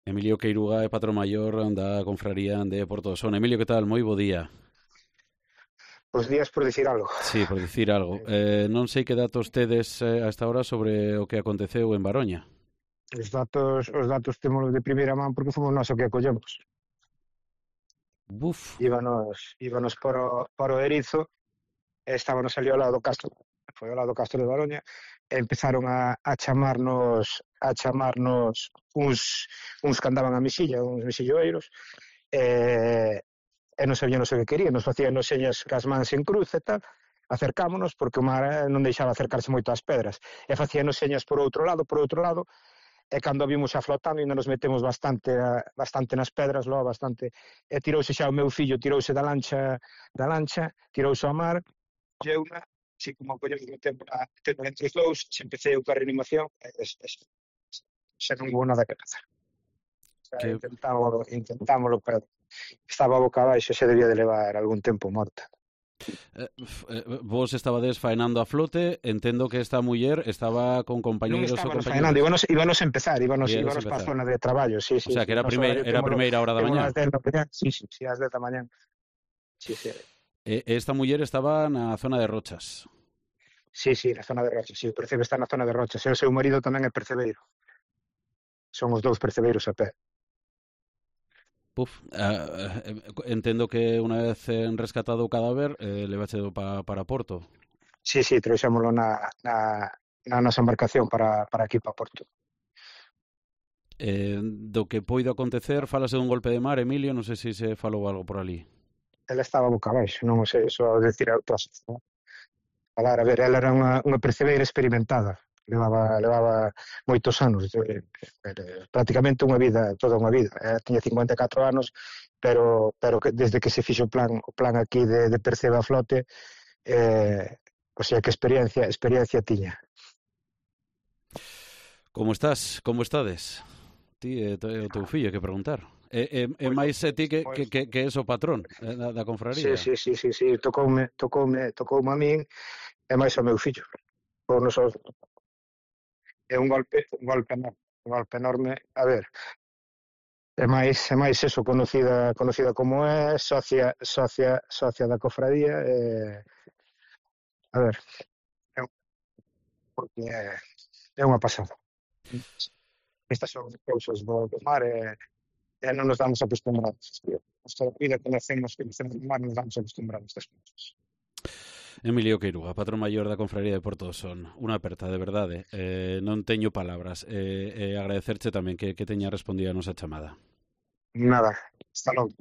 Emilio Queiruga é patrón maior da confraría de Porto do Son. Emilio, que tal? Moi bo día. Os días por dicir algo. Sí, por dicir algo. Non sei que datos tedes a esta hora sobre o que aconteceu en Baroña. Os datos temos de primeira man porque fomos nós o que acollemos. Buf, Íbanos para o Erizo e estábamos ali ao lado do Castro, foi ao lado do Castro de Baroña, e empezaron a chamarnos uns que andaban a misilla, uns misilloeiros, e non sabíamos o que querían, nos facían señas cas mans en cruz e tal, acercámonos porque o mar non deixaba acercarse moito ás pedras, e facíanos señas por outro lado, e cando vimos xa flotando ainda nos metemos bastante nas pedras, logo bastante, e tirouse xa o meu fillo, tirouse da lancha, tirouse ao mar, e eu, así como collemos o tempo entre os dous, se empecé eu coa reanimación, xa non hubo nada que facer. Xa que intentámoslo, pero estaba boca abaixo, xa debía de levar algún tempo morta. vos estabades faenando a flote. Entendo que esta muller estaba con Non compañeiros ou estábamos faenando, compañeiras. íbanos a empezar, Íades para a empezar. zona de traballo, sí, O sí, sea, sí. que era a Noso primeira, horario era a primeira hora da témolo mañá. ás 10 da mañá, sí, sí, sí, ás 10 da mañá. Sí, sí. Esta muller estaba na zona de Rochas. Sí, sí, na zona de Rochas, sí, o percebe está na zona de Rochas, e o seu marido tamén é percebeiro. Son os dous percebeiros a pé. Puf, entendo que unha vez rescatado o cadáver, levache para Porto. Sí, sí, trouxémolo na nosa embarcación para aquí, para Porto. Do que poido acontecer, falase dun golpe de mar, Emilio, non sei se se falou algo por ali. Ela estaba boca abaixo, non o sei, só decir autópsia. Falar, a ver, ela era unha percebeira experimentada, levaba moitos anos, prácticamente unha vida, toda unha vida. Tiña 54 anos, pero que desde que se fixo o plan aquí de percebe a flote, o sea que experiencia tiña. Como estás? Como estades? Ti e o teu fillo, hai que preguntar. E Moi máis ti que, moi que, que, que és o patrón da Sí, confraría. sí, sí, sí, sí, tocoume a min e máis ao meu fillo. Por nosos, é un golpe enorme. A ver, é máis eso, conocida como é, socia da cofradía, a ver, é, porque é unha pasada. Estas son cousas do mar e non nos damos acostumbrados. Esta vida que conocemos do mar, nos damos acostumbrados a estas cousas. Emilio Queiruga, patrón maior da confraría de Porto do Son. Unha aperta, de verdade. Non teño palabras. Agradecerche tamén que teña respondido a nosa chamada. Nada, hasta logo.